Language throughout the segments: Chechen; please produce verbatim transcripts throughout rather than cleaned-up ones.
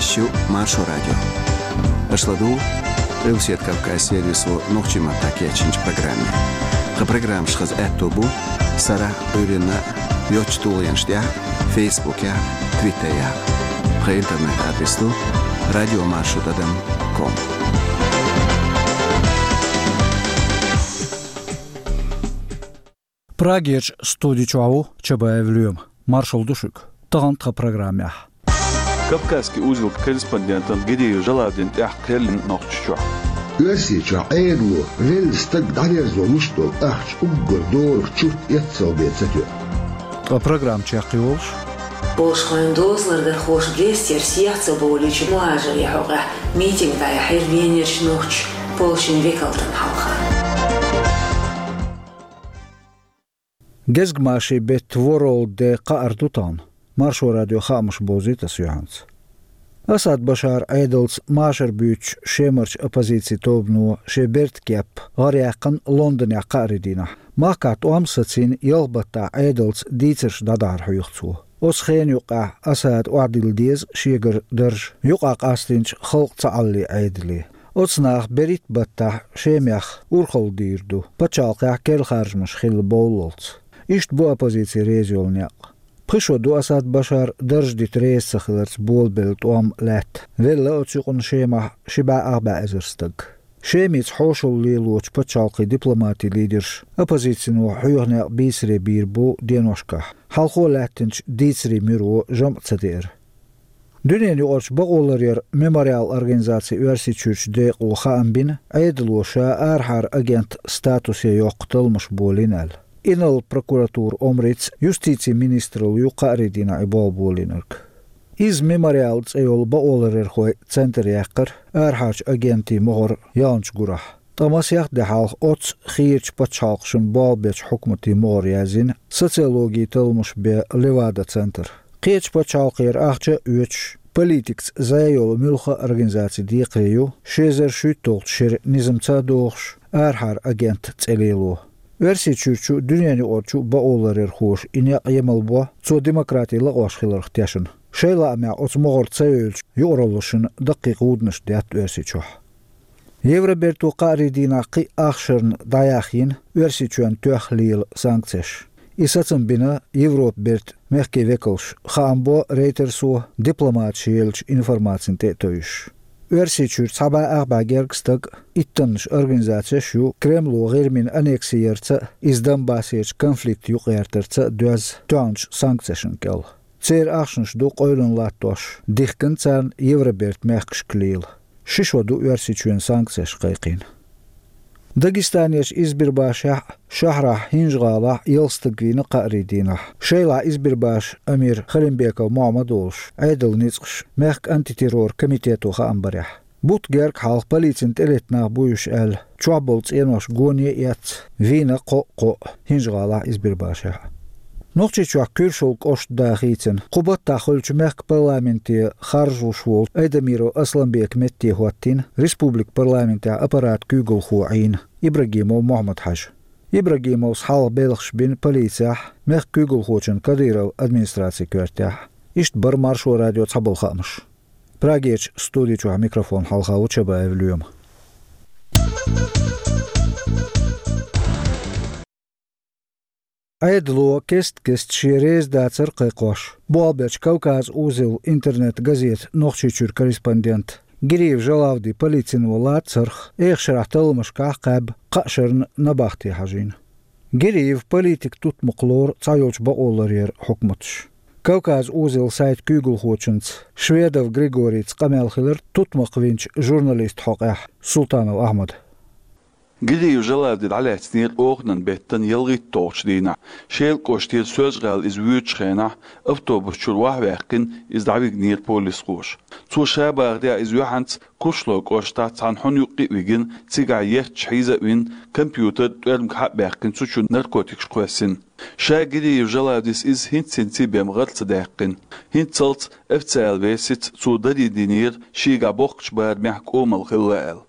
Шо Маршо радио. Аша ладугӀу Къилбаседа Кавказ сервисо нохчийн маттахь кечйинчу программе. Тхан программаш хаза аьтто бу сарахь а, Ӏуьйранна а йоцачу тулгӀенаш тӀехь а, Фейсбукехь а, Твиттерехь а. Тхан интернет-адрес ду радио маршо тӀадам ком. Прагерчу студи чохь ву Чабаев Лоьма. Маршалла ду шуьга. Тахана тхан программехь. Кавказский узел корреспондентан Гириев Жалавдина тӀехь кхел йина Нохчийчохь. Оьрсийчохь Ӏедало велла стаг дӀадерзо луш долу ахча уггар дорах чурт эццалбе ца тоьа. Ткъа программа чекхйолуш. Польшхойн дозалардархоша Брестера сехьа ца бовлийча мухӀажарийн хьокъехь митинг дӀаяьхьира Венерчу нохчийн полшин векалтан хьалха. Гезгмашин беттан World Day кхаъар ду тахана. Маршо радион хаамаш бовзуьйту аса юьхьанца. Асад Башаран Ӏедалца машар буьйцучу Шемарчу оппозицин тобано шен бертан кеп гӀараяьккхина Лондонехь кхаарин дийнахь. Махкахь тӀом а сацийна, ялх баттахь Ӏедалца дийцарш дӀадахьар хьоьху цо. Оцу хенан юккъехь Асада охьадилла деза шегара дарж юкъахь къастийначу халкъан цхьааллин Ӏедале. Оцу наха берхӀитта баттахь Шемахь урхалла дийр ду, пачхьалкхехь керла харжамаш хилла бовллалц. Иштта бу оппозици реза йолу некъ. Пхи шо ду Асад Башар дарж дита реза ца хиларца болабелла тӀом лаьтта. Велла оцу юкъана Шемахь ши бӀе ах бӀе эзар стаг. Шемица хьошалла лелочу пачхьалкхийн дипломатийн лидерша оппозицино хьоьху некъ бийцаре бийр бу деношкахь, хьалхо лаьттинчу дийцарийн муьро жамӀ ца деара. Дуьненаюкъарчу бакъоларъяран Мемориал организацин Оьрсийчуьрчу декъо хаам бина, Ӏедало ша арахьара агентан статусе йоккху талламаш болийна аьлла. Инарла прокуратуран омрица юстицин министралла ю кхаарин дийнахь и болх болийнарг. Иза Мемориал цӀе йолу бакъоларъярхойн центр яьккхира арахьарчу агентийн могӀар ялначу гурахь. Ткъа масех де хьалха оццу хийрачу пачхьалкхашна болх бечу хьукматийн могӀара яздина социологин талламаш бен Левада-центр. Кхечу пачхьалкхера ахча а оьцуш, политикаца зӀе йолу муьлхха а организацин декхаре ю ши эзар шийтталгӀачу шеран низамца а догӀуш, арахьара агентан цӀе лело. Оьрсийчуьрчу а, дуьненаюкъарчу а бакъоларъярхоша и некъ емалбо, цо демократи лакъош хиларх тешна. Шайн лаамехь оцу могӀара ца евллачу юкъараллашна даккхий гӀуданаш детта Оьрсийчохь. Евроберто кхаарин дийнахь кхин а ах шарна дӀаяьхна йина Оьрсийчоьнна тоьхна лела санкцеш. И сацам бина Европан бертан мехкийн векалша, хаам бо Рейтерсо дипломаташа еллачу информацина тӀе а тевжаш. Оьрсийчуьра цхьа бӀе ах бӀе гергга стаг а, иттаннаш организацеш а ю Кремло ГӀирмина аннекси ярца а, иза Донбассерчу конфликт юкъагӀертарца а доьзна тоьхначу санкцешна кӀел. Церан ахчанаш ду къевлина латтош, дихкина царна Евробертан мехкашка лела. Ши шо ду Оьрсийчоьнан санкцеш кхайкхийна. Дагестанерчу Избербашехь а, шахьарахь ХӀинжа-ГӀалахь а ялх стаг вийна кхаарин дийнахь. Шайлахь Избербашан амир Халимбеков Мохьмад а волуш, Ӏедалан ницкъаша мехкан антитеррор комитето хаам барехь. Бутт гергга хьалха полицина тӀелетта нах бу уьш аьлла, чохь болу цӀенош гоне а эцна, вийна кхоъ-кхоъ ХӀинжа-ГӀалахь, Избербашехь а. Нохчийчохь Куьршалла кӀошт да хийцина, кху баттахь хуьлучу мехкан парламенте харжалуш волу Айдамиров Асланбека метте хӀоттийна республикан парламентехь аппарат куьйгалхо Ӏийна Ибрагимов Мохьмад-Хьаьжа. Ибрагимовс хьалха белхаш бина полицехь, мехкан куьйгалхочун Кадыровн администрацин коьртехь. Иштта бара Маршо радион цхьаболу хаамаш. Прагерчу студи чохь микрофон хьалха ву Чабаев Лоьма. Ӏедало кест-кеста шен реза дацар кхайкхош, болх бечу Кавказ узел интернет-газета «Нохчийчуьра» корреспондент Гириев Жалавди полицино лацарх, эха шарахь талламашкахь кхаьбна, кхаа шарна набахте хьажийна. Гириев политикан тутмакх лору цхьайолчу бакъоларъяран хьукматаша. «Кавказ узел» сайта куьйгалхочуьнца Шведов Григорийца къамел хилира тутмакх винчу журналистан хьокъехь Султанов Ахьмада. Гириев Жалавди дӀалаьцнера оханан беттан ялхитталгӀачу дийнахь. Шелан кӀоштера Соьлжа-ГӀала иза воьдучу хенахь, автобус чуьра охьаваьккхина, иза дӀавигнера полисхоша. Цо ша бахарехь, иза юьхьанца Кушлой кӀоштахь цхьана хьуна юккъе а вигина, цигахь етташ хьийза а вина, компьютер, тӀоьрмиг хьа а баьккхина, цу чу наркотикаш кхоьссина. Ша Гириев Жалавдис иза хӀинцца-хӀинцца бен гӀар ца даьккхина. ХӀинццалц официалан версица цо даре динера, шегахь боккхачу барамехь кӀомал хилла аьлла.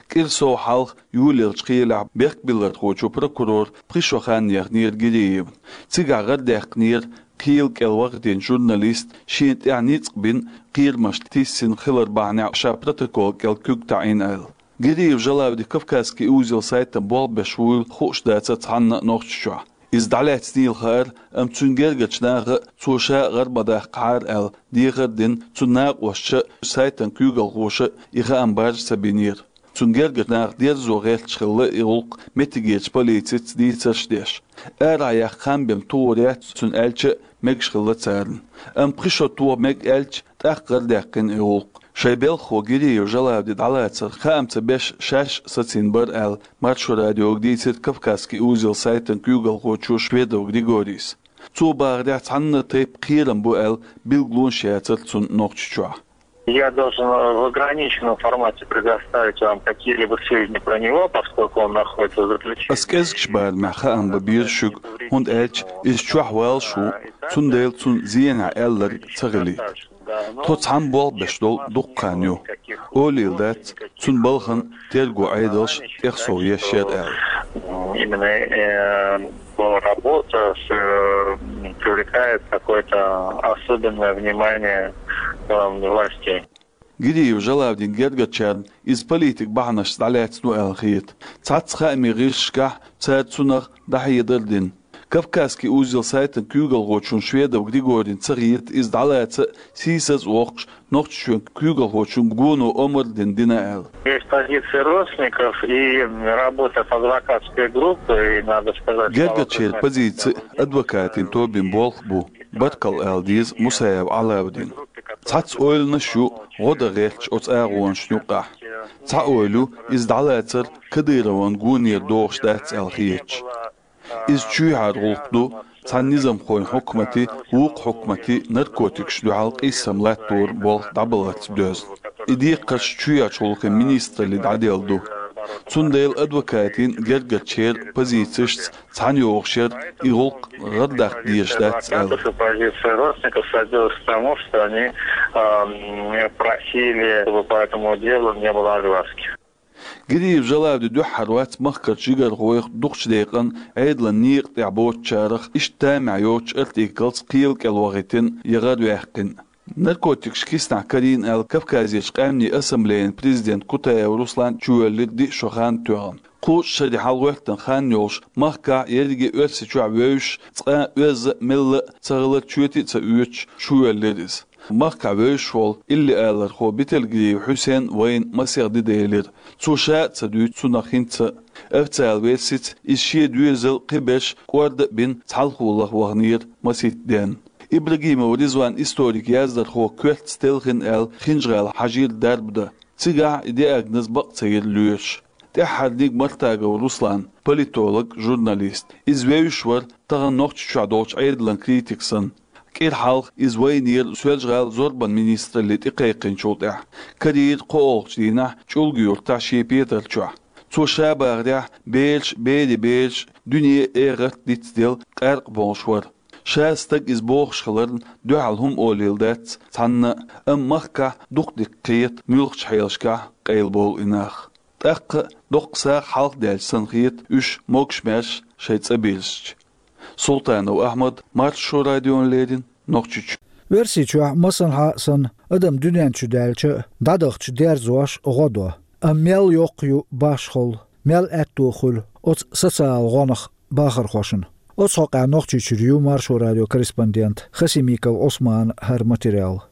КӀира сов хьалха, июлерчу кхелехь, бехкбиллархочо прокурор пхи шо хан яхнера Гиреевна. Цигахь гӀардаьккхинера кхел кӀел вахийтина журналист, шена тӀехь ницкъ бина, кхерамаш тиссина хилар бахьанехь ша протокол кӀел куьг таӀийна аьлла. Гиреев Жалавди «Кавказский узел» сайтана болх беш вуйла хууш дацара цхьанна а Нохчийчохь. Иза дӀалаьцнийла хаьара, амма цуьнан гергарчу наха а, цо ша а гӀар ма даккхахьара аьлла, дехар а дина, цуьнан накъосташа а, сайтан куьйгалхоша а и хаам баржа ца бинера. Цуьнан гергарчу наха дерзо гӀерташ хилла и гӀуллакх меттигерчу полицица дийцарш а деш. Арахь яккха хан бен тухур яц цуьнан аьлча а, мегаш хилла царна. Амма пхи шо тоха мега аьлча, тӀаккха гӀардаьккхина и гӀуллакх. Шайн белхахо Гиреев Жалавди дӀалацар хаам ца беш, шаьш а сацийна бара аьлла, Маршо радиога дийцира «Кавказский узел» сайтан куьйгалхочо Шведов Григорийс. Цо бахарехь, цхьанна а тайпа кхерам бу аьлла билгалонаш яцара цунна Нохчийчохь. Я должен в ограниченном формате предоставить вам какие-либо сведения про него, поскольку он находится в заключении. Ас кӀезигчу барамехь хаам бан беза шуьга, хӀунда аьлча иза чохь валлаш ву, цундела цунна зенахь аьлларг ца хилийта. Тхо цхьаьна болх беш долу дуккха хан ю. Олийла дац, цуьнан балхана терго Ӏедалша тӀехсов еш яра аьлла. Именно, э, работа с, э, привлекает какое-то особенное внимание, э, властей. Гиреев Жалавдин гергарчарна иза политик бахьанашца дӀалаьцна ву аьлла хета. Цхьацца хаамийн гӀирсашкахь цара цунах дӀахьедар а дина. «Кавказский узел» сайтан куьйгалхочун Шведов Григорин ца хета иза дӀалаца а, сийсаз а воккхуш, Нохчийчоьнан куьйгалхочун гоно омра а дина, дина аьлла. Есть позиция родственников и работа с адвокатской группой, и надо сказать, Гергарчеран позици а, адвокатийн тобин болх а бу, баркалла ала деза Мусаев Ӏалавдина. Цхьацца ойланаш ю гӀо дан гӀерташ оцу агӀонашна юкъахь. Цхьа ойла ю, иза дӀалацар Кадыровн гонера догӀуш дац аьлла хеташ. Иза чоьхьара гӀуллакх ду, цхьана низамхойн хьукматий, вукху хьукматий наркотикашна дуьхьал къийсам латтор болх дӀабаларца доьзна. И декхарш чоьхьарчу гӀуллакхийн министралле дӀаделла ду. Цундела адвокатийн, гергарчеран позицешца цхьаьна йогӀуш яра и гӀуллакх гӀардаккха дезаш дац аьлла. Позиция родственников сводилась к тому, что они, ам, просили, чтобы по этому делу не было огласки. Гиреев Жалавди дуьххьара вац махкарчу жигархойх, дукхачу декъана Ӏедалан некъа тӀехь боцучарах, иштта тамехь йоцучу артиклца кхел кӀел вахийтина я гӀарваьккхина. Наркотикаш киснахь карийна аьлла, Кавказерчу къаьмнийн ассамблеян президент Кутаев Руслан чувоьллира диъ шо хан тоьхна. Кхузткъа шаре хьалагӀоьттина хан йолуш, махкахь, ерриге а Оьрсийчохь вевзаш, цкъа а оьзза а, мелла а ца хилар чоьте а ца оьцуш, чувоьллира иза. Махкахь вевзаш волу иллиалархо Бетелгириев Хьусен вайна масех де делира. Цо ша а ца дуьйцу цунах хӀинца а. Официалан версица, иза шен доьзал, кхиберш кӀорда а бина, цхьалхо лаха ваханера масийтта денна. Ибрагимов Ризван, историк, яздархо, коьртаца телхина аьлла, Хинжа-ГӀала хьажийра дарба дан. Цигахь и диагноз бакъ ца йира лоьраш. ТӀаьххьарниг Мартагов Руслан, политолог, журналист. Иза вевзаш вара, тахана Нохчийчохь долчу Ӏедалан критик санна. КӀира хьалха иза вайнера Соьлжа-ГӀалин зорбанан министралле тӀекхайкхинчул тӀаьхьа. Карийра кхоалгӀачу дийнахь ЧӀулга-Юьртахь шен петар чохь. Цо ша бахарехь, бераш, берийн бераш дуьне а, эгӀарт а дицделла къаьркъа болуш вара. Ша стаг иза бохуш хиларна, дуьхьал хӀума олийла дац цхьанна а, амма махкахь дукха дика кхета муьлххачу хьелашкахь къайлабовла и нах. ТӀаккха а, доккха сагӀа хьалхадаьлча санна хета уьш, могуш-маьрша шайн цӀа бирзича. Султанов Ахьмад, Маршо радиона леррина, Нохчийчоь. Оьрсийчохь, масанхьа а санна, адам дуьнен чу даьлча а, дӀадахча дерзош гӀо до. Амма мел йоккха ю башхалла, мел аьтто хуьлу оцу социал гӀонах бахархошна? Оцу хьокъехь Нохчийчуьра ю Маршо радион корреспондент Хасимиков Ӏусманан хӀара материал.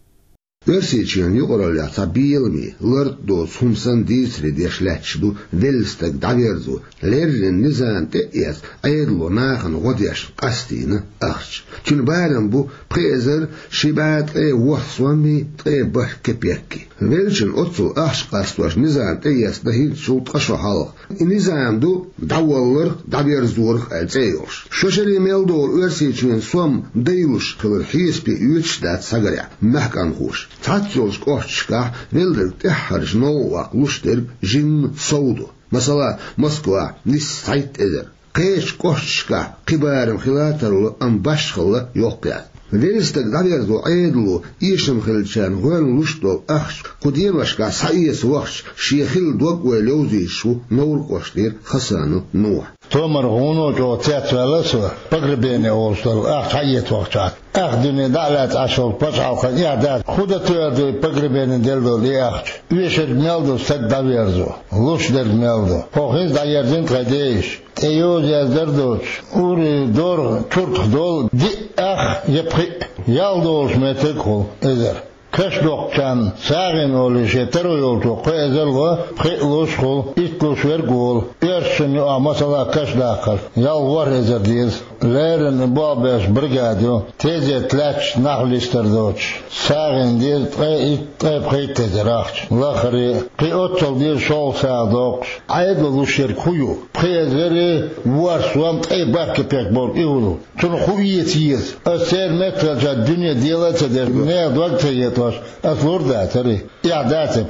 Оьрсийчоьнан юкъараллехь цхьа беламе, лартӀа доцу хӀума санна дийцаре деш лаьтташ ду велла стаг дӀаверзо, леррина низам тӀе а эцна, Ӏедало нахана гӀо деш къастийна ахча. Цуьнан барам бу пхи эзар ши бӀе ткъе ворхӀ соммий ткъе бархӀ кепеккий. Веллачун оццул ахча къастош низам тӀеэцна хӀинцачул ткъа шо хьалха. И низам ду дӀавалларх, дӀаверзорах аьлла цӀе йолуш. Шо шаре мел догӀу Оьрсийчоьнан сом дайлуш хилар хьесапе оьцуш дац схьагарехь маьхкамхоша. Цхьацца йолчу кӀошташкахь велларг тӀаьххьарчу новкъа ваккха луш дерг жимма сов ду. Масала, Москвахь нисса цхьайтта эзар. Кхечу кӀошташкахь кхин барам хила а тарло, амма башхалла йоккха яц. Велла стаг дӀаверзо Ӏедало эшам хиллачарна гӀоьнна луш долу ахча кху деношкахь схьаэца вахча, шен хилла дог-ойла йовзуьйтуш ву Невран кӀоштара Хасанов Нухь. Томар гӀуно чӀогӀа цецваьлла со, погребение олуш долу ахча схьаэца вахча. Ах дуьне дӀа а лаьцна Ӏаш волу пачхьалкхан эхь дац, хӀун дан тоьар ду и погребение делла долу и ахча? Оьшург мел ду стаг дӀаверзо, луш дерг мел ду? ХӀокху хӀинца дӀаерзийна тхайн дейиша. ТӀе йоза яздара доцуш, ури, доргӀа, чуртах долу диъ ах я пхиъ, ял долуш меттиг хуьлу эзар. Каш доккхучарна сагӀина олий шен таро йолчо кхо эзар ло, пхиъ луш хуьлу, итт луш верг а волу. Оьрсашна юкъахь масала каш даккхар, ял ворхӀ эзар деза. Леррина болх беш бригада ю, тезет лаьтташ нах листар доцуш. СагӀина деза ткъе итт, ткъе пхийтта эзар ахча. Лахаре, кхин оццул деза шолгӀа сагӀа доккхуш. Ӏедало луш ерг хӀун ю? Пхи эзари ворхӀ сом ткъе бархӀ кепек болу и хӀун ду? Цунах хӀун эца еза? Ас церан меттахь хилча дуьне дела а ца деш, нехан дог а ца етош, ас лур дацара и? Эхь дац и?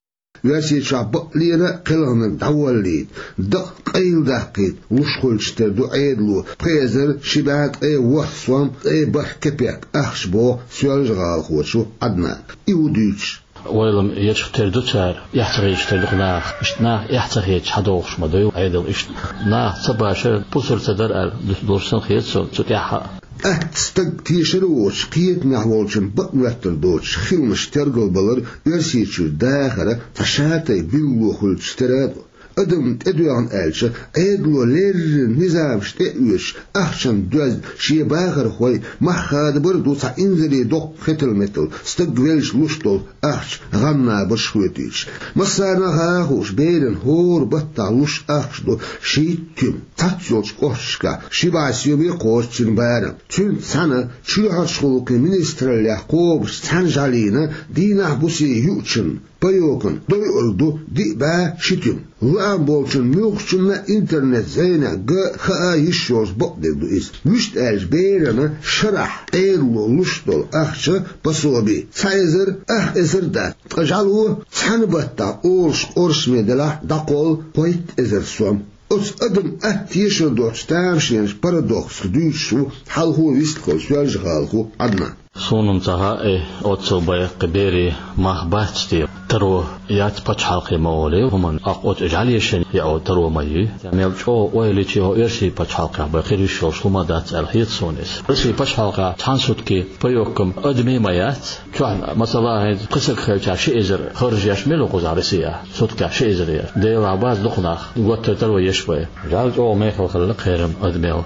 Оьрсийчохь бакъ лера а кхелхинарг дӀаволлийта, дакъа къайладаккхийта луш хуьлучух тера ду Ӏедало пхи эзар ши бӀе ткъе ворхӀ сом ткъе бархӀ кепек ахча, боху соьлжа-гӀалахочо Ӏаднана. И хӀун дуьйцуш? Ойла ма ечхьа тера ду цара, эхь ца хеташ тера ду-кх наха. Иштта наха эхь ца хеташ схьадогӀуш ма ду Ӏедал иштта. Наха ца башар, пусар ца дар аьлла, долуш санна хета суна цу тӀехь а. Атта стаг тешар а воцуш, кхетамехь волчун бакъ моьттур доцуш хиламаш тергалбалар Оьрсийчуьра дахаран цхьа шатай билгало хуьлучух тера а ду. Адам тӀедоьгӀна аьлча, Ӏедало леррина низамаш тӀе а оьцуш, ахчанан доьзна шен бахархой мах хадабар а ду цхьа инзаре доккха хетал-метал, стаг велча луш долу ахча гӀан-набарш хоьтуьйтуш. Массарна а хаа хууш, беран хӀора баттахь луш ахча ду шийтта туьма. Цхьацца йолчу кӀошташкахь ши бӀе сом а кхочу цуьнан барам. Цуьнца цхьаьна чоьхьарчу гӀуллакхийн министраллехь кхобуш цхьаьна жӀалийна дийнахь-буса юучун паёкан дойур ду диъ бӀе ши туьма. Лаам болчун муьлххачунна интернет-зӀенехь ган хаа йиш йолуш бакъдерг ду иза. Вуьшта аьлча, берана шарахь Ӏедало луш долу ахча, пособи, цхьа эзар, ах эзар дац, ткъа жӀало цхьана баттахь олуш къоршаме делахь дӀакхоллу кхойтта эзар сом. Оцу адам атта тешар доцчу тамашийначу парадоксах дуьйцуш ву хьалхо вистхула соьлжа-гӀалахо Ӏаднан. Суна-м ца хаьа, оццул бакъ берийн мах бац те, таро яц пачхьалкхе ма олий, хӀуманна аккха оцу жӀалешан яо таро ма юй. Мел чӀогӀа ойла йича, хӀокху оьрсийн пачхьалкхехь бен хир йиш йолуш хӀума дац аьлла хета суна иза. Оьрсийн пачхьалкхехь цхьана сутки паёккам адаме ма яц. Чохь, масала, хӀинца пхи саг хилча ши эзар харжа еш мила ву кхузахь Россехь? Суткехь ши эзар еш. Делахь бац дукха нах, гуттар а таро еш бен. ЖӀаьла чӀогӀа мехала хилла кхерам адамел.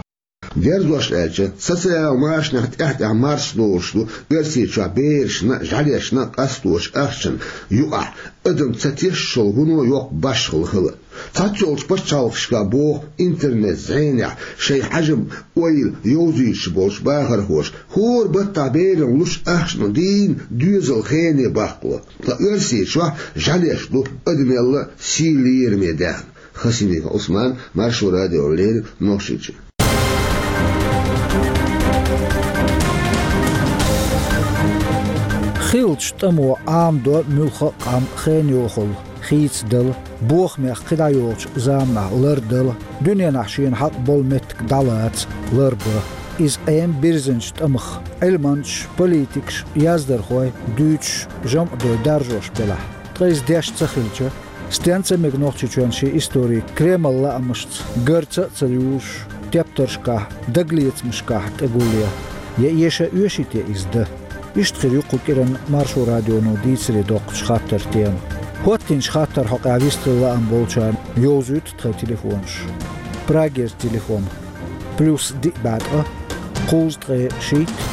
Дерзош аьлча, социал машанех тӀаьхь-тӀаьхьа марсадолуш ду Оьрсийчохь берашна а, жӀаьлешна а къасточу ахчанна юкъахь адам ца тешачул хӀуно йоккха башхалла хила. Цхьаццайолчу пачхьалкхашкахь боху интернет-зӀенехь шайн хьежам, ойла йовзуьйтуш болчу бахархоша хӀора баттахь берана луш ахчанна дийна доьзал хене баккхало. Ткъа Оьрсийчохь жӀаьлеш ду адамелла сий лераме даьхна. Хасимиков Ӏусман, Маршо радиона леррина, Нохчийчоь. Хиллачу тӀамо Ӏамадо муьлхха а къам хенан йохалла, хийцадала, бохамех кхидӀа йолчу заманахь лардала, дуьненахь шена хьакъ болу меттиг дӀалаца, ларбан. Иза Ӏема бирзинчу тӀамах, Ӏилманчаш, политикаш, яздархой дуьйцуш, жамӀ дой даржош белахь. Ткъа иза деш ца хилча, стенца а мега Нохчийчоьнан шен истори Кремлан лаамашца гарца а ца южуш, тептаршкахь, дагалецамашкахь тӀегулъян? Я эша оьший те иза дан? Иштта хир ю кху кӀиранна Маршо радионо дийцаре доккхучу хаттаран тема. ХӀоттинчу хаттаран хьокъехь вистхила лаам болчарна йовзуьйту тхайн телефонаш. Прагерчу телефон: плюс диъ бӀе ткъа, кхузткъе шийтта,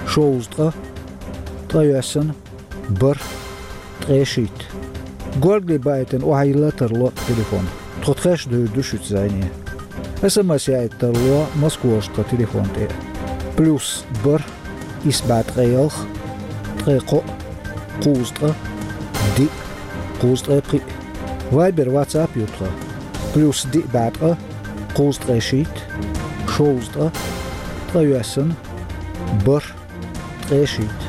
шовзткъа, ткъайоьсна, бархӀ, ткъе шийтта. Горгали баийтина охьайилла а тарло телефон. Тхо тхаьш девр ду шуьца зӀене. СМС яийта тарло Москварчу тхан телефон тӀе: плюс бархӀ, исс бӀе ткъе ялх, ткъе кхоъ, кхузткъа, диъ, кхузткъе пхиъ. Вайбер, ватсап ю тхан: плюс диъ бӀе ткъа, кхузткъе шийтта, шовзткъа, ткъайоьсна, бархӀ, ткъе шийтта.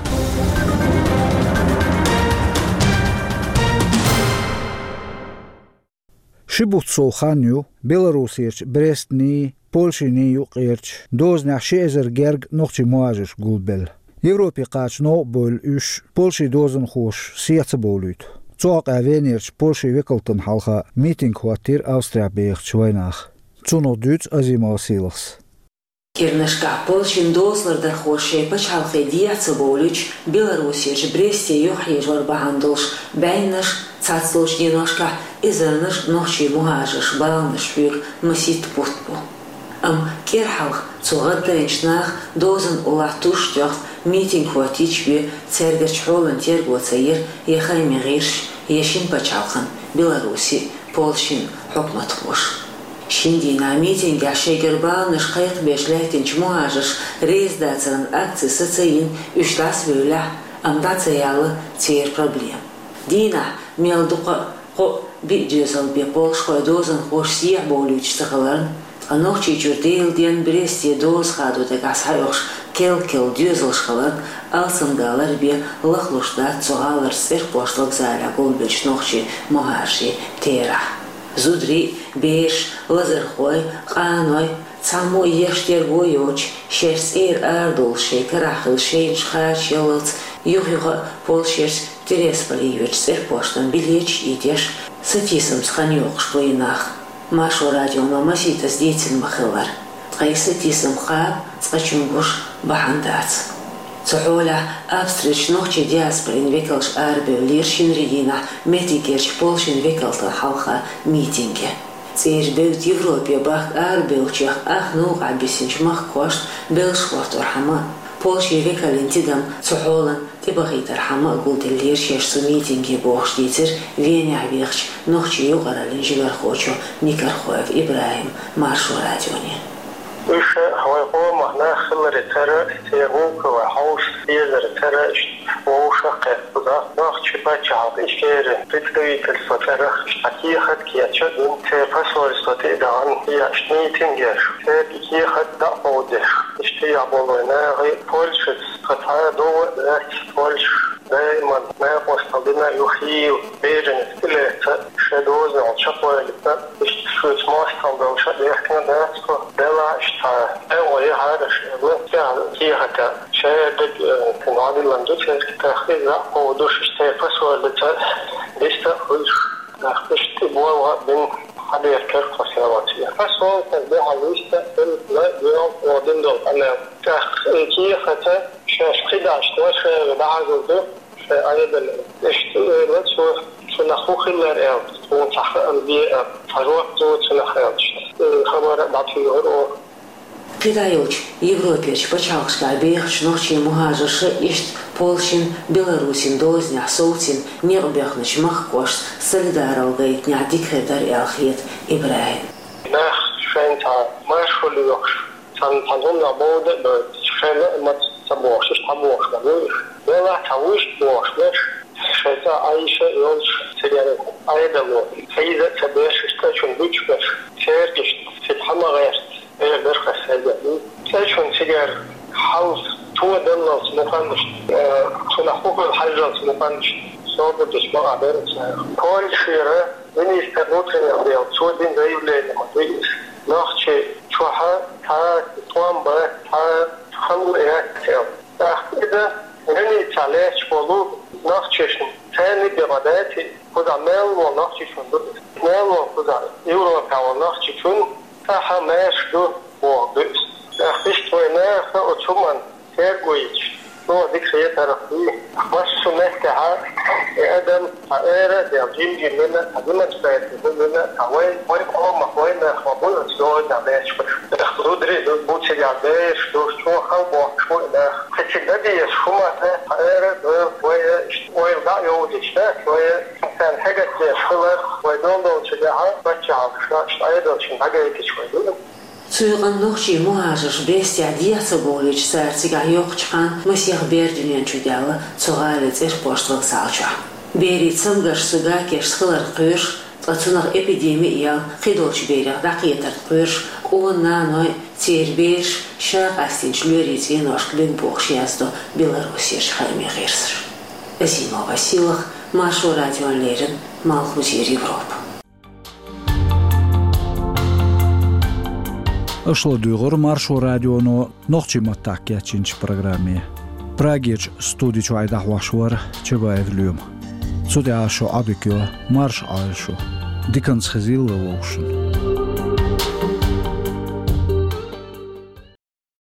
Ши бутт сов хан ю Беларусерчу Брестни, Польшин юкъерчу дозанехь ши эзар герга нохчийн мухӀажарш гулбелла. Европе кхача новкъа бевлла уьш Польшин дозанхоша сехьа ца бовлуьйту. Цу хьокъехь Венерчу Польшин векалтана хьалха митинг хӀоттийра Австрехь бехачу вайнаха. Цунах дуьйцу Азимов Василас. КӀирнашкахь Польшин дозалардархоша шайн пачхьалкхе дехьа ца бовлуьйтуш, Беларусерчу Бресте юхахьежор бахьана долуш бӀеннаш, цхьацца долчу деношкахь эзарнаш нохчийн мухӀажарш баланаш хьоьга масийтта бутт бу. Амма кӀира хьалха цу гӀаддайначу наха дозанан уллохь туш тоьхна митинг хӀоттийча бен цаьргара хьолан терго ца йира я хаамийн гӀирсаш, я шина пачхьалкхан, Беларусин, Польшин хьукматхоша. Шина дийнахь митингехь шайгара баланаш кхайкхабеш лаьттинчу мухӀажарша реза дацаран акци сацийна, уьш дӀасабевллехь, амма дӀа ца яьлла церан проблема. Дийнахь мел дукха а, кхоъ, биъ доьзал бен польшхойн дозанхоша сехьа бовлуьйтуш ца хиларна, ткъа Нохчийчуьра Делан денна Бресте доза хадо дагахь схьаоьхуш керл-керла доьзалш хиларна, алсамдалар бен лахлуш дац цу гӀаларчу цӀерпошт вокзалехь гулбеллачу нохчийн мухӀажарийн терахь. Зударий, бераш, лазархой, къаной, цхьаммо а еш-терго йоцуш, шаьш цӀера арадолуш шайн карахь хилла шайнаш кхачаяллалц, юха-юха а Польшерчу Тересполе йоьдучу цӀерпоштан билеташ а йитеш, сатийсамца хан йоккхуш бу и нах. Маршо радионо масийттаза дийцина ма-хиллара, ткъа и сатийсам кхаба цкъачунна гуш бахьана дац. Цу хьолехь Австрерчу нохчийн диаспорин векалш арабевллера шинарин дийнахь меттигерчу Польшин векалтана хьалха митинге. ЦӀера бевдда Европе бахка арабевллачех ах новкъахь бисинчу махкахошна беллаш хӀотторхьама, Польшин векалан тидам цу хьолан тӀебахийтархьама а гулделлера шаьш цу митинге бохуш дийцира Венехь вехачу нохчийн юкъараллин жигархочо Никархоев ИбрахӀима Маршо радионе. Уьш вайн къомах нах хиларе тара, церан гӀуллакхе вай хьовсуш дезаре тара, иштта вовшах а кхетта, нохчийн пачхьалкх Ичкерин представительство тӀарах иштта кехат кечъян а дина, церан посольство тӀе а дахана, иштта митинг еш, церан и кехат дӀа а кховдадеш, иштта яхь болу вайн нахе, Польшаца тхан цхьа а дов а дац, Польша даиман накъосталла дина а ю хийла, берашна тӀелаьцна, шайн дозанал чекхвалийта, иштта шуьца мостагӀалла долуш а дехкина дац-кх, делахь а иштта цхьа а гӀо яхьара аша аьлла, тӀаьхьа кехата шадерг, э, цуьнан дӀадиллина ду церан, тӀаккха иза дӀа а кховдадеш, иштта церан посольство диста а хуьлуш, тӀаккха иштта тӀе болх а бина, хьаберкара тхо селоце. Посольство дуьхьал виста а хилла, ла а доьгӀна, оха дина долу къамел. ТӀаккха и кехата шаьш кхидӀа иштта ваша дӀахьажор ду шайн Ӏедале. Иштта элира цо, цунах хӀун хилар аьлла, тхуна цхьа хаам бе а, цхьа жоп ду цунах аьлла, иштта хабар а дӀатуьйхира оха. КхидӀа йолчу Европерчу пачхьалкхашкахь бехачу нохчийн мухӀажарша иштта Польшин, Беларусин дозанехь совцийна некъ боьхначу махкахошца солидаралла гайтинехь дика хир дара аьлла хета ИбрахӀима. Нах шайна цхьа маршо лоьхуш, цхьана, цхьана хӀуманах бовда а бойтуш, шайн лаамца ца бохуш, иштта хьабохуш ма бу уьш. Делахь а цхьа вуьшта бохуш берш, шайн цӀа Ӏайша а йолуш, цигара Ӏедало хьийза а ца беш, иштта цӀа чунна буьтуш берш, церан иштта цига хьа ма гӀерта, эр дара хьан сайга. ЦӀа чунна цигара хьал то даллалц мукъанаш, э, цунах хӀун хила хьажжалц мукъанаш, собар деш бакъахь дара цара. Польшера министр внутренних дел, цо дина заявлени ма ду иза. Нохчийчохь цхьа тӀом бац, цхьа хало яц аьлла. ТӀаккха иза границехь лаьтташ болу нохчашна, царна а бен ма дац и, кхузахь мел волу нохчичунна ду иза. Мел волу кхузахь Европехь волу нохчичунна цхьа хьан маьрша ду бохург ду иза. ТӀаккха иштта вайн наха оцу хӀуманна терго йича, чӀогӀа дика хетарх бий. Массо а меттехь и адам цхьа ара а даьлла, жим-жим йина а, цхьа демонстраци хӀума йина а, цхьа вайн, вайн къомах вайн нах ма бу оцу дозанехь лаьтташ берш. ТӀаккха зударий а бу цигахь, бераш а ду, чӀогӀа хала бохкуш бу и нах. Кхин цига дан дезаш хӀума дац, цхьа ара а ду, вай иштта ойла дӀа а йовлуьйтуш дац, вай царна хьегатдеш хилар, вай дол долчу дехьа паччахьалкхашна, иштта Ӏедалшна дӀагайтича вай ду. Цу юкъанна нохчийн мухӀажарш Брестехь дехьа ца бовлуьйтуш, цара цигахь йоккхучу ханна масех бер дуьнен чу даьлла цу гӀалин цӀерпошт вокзал чохь. Берийн цамгарш цу гакешца хиларна кхоьруш, ткъа цунах эпидеми а яьлла, кхидолчу берех дӀакхетарна кхоьруш, къона наной, церан бераш ша къастийначу лоьрийн цӀеношка луьйна бохуш яздо Беларусерчу хаамийн гӀирсаша. Азимова Василах, Маршо радиона леррина, Малхбузера Европа. Аша ладугӀура Маршо радионо нохчийн маттахь кечйинчу программе. Прагерчу студи чохь и дӀахьош вара Чабаев Лоьма. Цу тӀехь шун Ӏодика йо марша Ӏойла шу. Диканца хезийла вовшашна.